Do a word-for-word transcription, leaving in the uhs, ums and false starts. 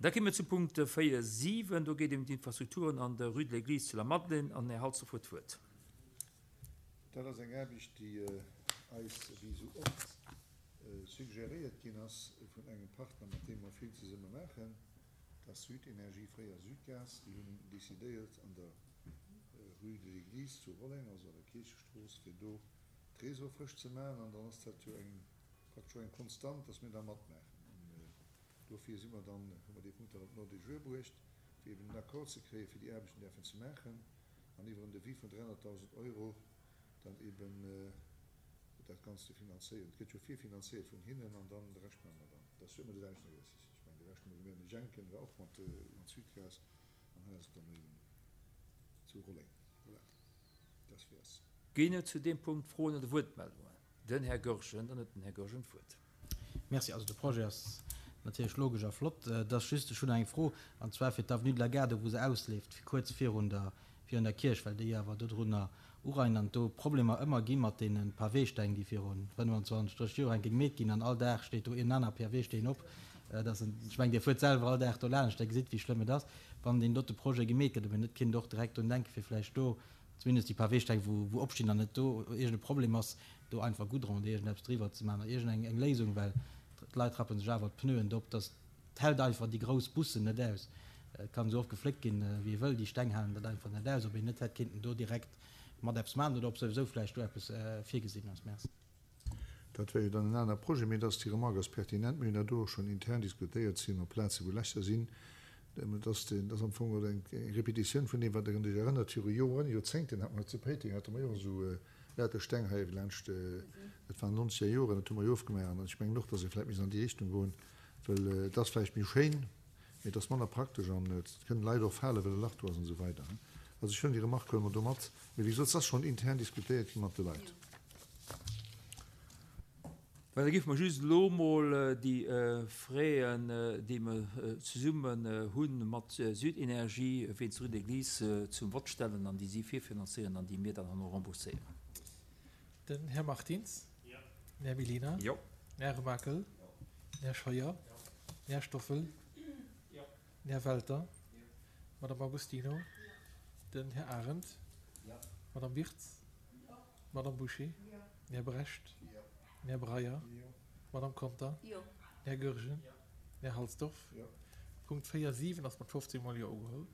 Da komme wir zum Punkt vier sieben. Do geet et ëm d'Infrastrukturen an der Rue de l'Église zu Lamadelaine an Här Halsdorf huet d'Wuert. Dat ass eng Aarbecht, déi eis wéi sou oft suggeréiert ginn ass vun engem Partner, mat deem mer vill zesumme maachen, dat ass Südenergie, fréier Südgas. Déi hunn decidéiert, an der Rue de l'Église zu Rolleng, also an der Kierchestrooss, fir do d'Réseau frësch ze maachen. An dann ass dat jo eng praktesch och eng Konstant, dass mir da matmaachen. An dofir si mer dann, hu mer dee Punkt dann op den Ordre du jour bruecht, fir eben en Accord ze kréien, fir déi Aarbechten däerfen ze maachen an iwwer en Devis vun dräihonnertdausend Euro dann eben dat Ganzt ze finanzéieren. Et gëtt jo virfinanzéiert vun hinnen an dann de Rescht maache mer dann. Dat ass jo ëmmer de selwechten Exercice. Ech mengen, de leschte Mol, wéi mir an de Jenken war och mat Südgas an hei ass et dann eben zu Rolleng. Voilà, das wär's. Ginn et zu deem Punkt Froen oder Wuertmeldungen? Den Här Goergen, dann huet den Här Goergen d'Wuert. Merci. Also de Projet ass natierlech logesch a flott. Et ass just, ech hunn eng Fro, an zwar fir d'Avenue de la Gare, do wou se ausleeft, kuerz virun der, virun der Kierch, well déi awer dodrunner ureien an do Problemer ëmmer gi mat deene Paweesteng, déi viru fënnwanzwanzeg, drësseg Joer enke gemeet ginn an all Dag steet do een aner Paweesteen op. Et ass en, ech mengen, Dir fuert selwer all Dag do laanscht, Dir gesitt, wéi schlëmm et ass, wann deen dote Projet gemeet gëtt, ob een net kinnt och direkt drun denken, fir vläicht do zumindest déi Paweesteng, wou, wou opstinn an net do iergend e Problem ass, do einfach Goudron oder iergendeppes driwwer ze maachen oder iergend eng Léisung, well d'Leit rappe sech awer d'Pneuen do op, dass d'hält einfach déi grouss Bussen net aus. Et kann esou oft gefléckt ginn, wéi ee wëll, déi Steng halen dat einfach net aus. Ob een net hätt kinnten do direkt mat eppes maachen oder ob souwisou vläicht do eppes virgesinn ass. Merci. Dat wär jo dann en aner Projet, mee dass déi Remarque ass pertinent. Mir hunn dat do och schonn intern diskutéiert, sinn op Plazen, wou Lächer sinn. Dat ass dat ass am Fong och eng Repetitioun vun deem, wat Der Iech erënnert, viru Joren, Joerzéngten hate mer zu Péiteng hate mer jo och esou lauter Steng hei laanscht, dat waren nonzeger Joren, dat hu mer jo ofgemaach. An ech mengen och, dass ee vläicht misst an déi Richtung goen, well et ass vläicht méi schéin, mee et ass manner praktesch an et kënnen Leit och falen, well e Lach do ass an esou weider. Also ech huelen déi Remarque huele mer do mat. Mee wéi gesot, et ass schonn intern diskutéiert gi mat de Leit. Well da géife mer just elo emol déi Fräen, déi mer zesummen hu mat Südenergie wéinst Rue de l'Église, zum Vott stellen an déi si virfinanzéieren an déi mir dann herno rembourséieren. Den Här Martins. Jo. Den Här Mellina. Jo. Den Här Remakel. Jo. Den Här Scheuer. Jo. Den Här Stoffel. Jo. Den Här Welter. Jo. D'Madame Agostino. Jo. Den Här Arendt. Jo. D'Madame Wirtz. Jo. D'Madame Bouché. Jo. Den Här Brecht. Jo. Den Här Breyer. Jo. D'Madame Conter. Jo. Den Här Goergen. Jo. Den Här Halsdorf. Jo. Punkt véier siwen ass mat fofzéng mol Jo ugeholl.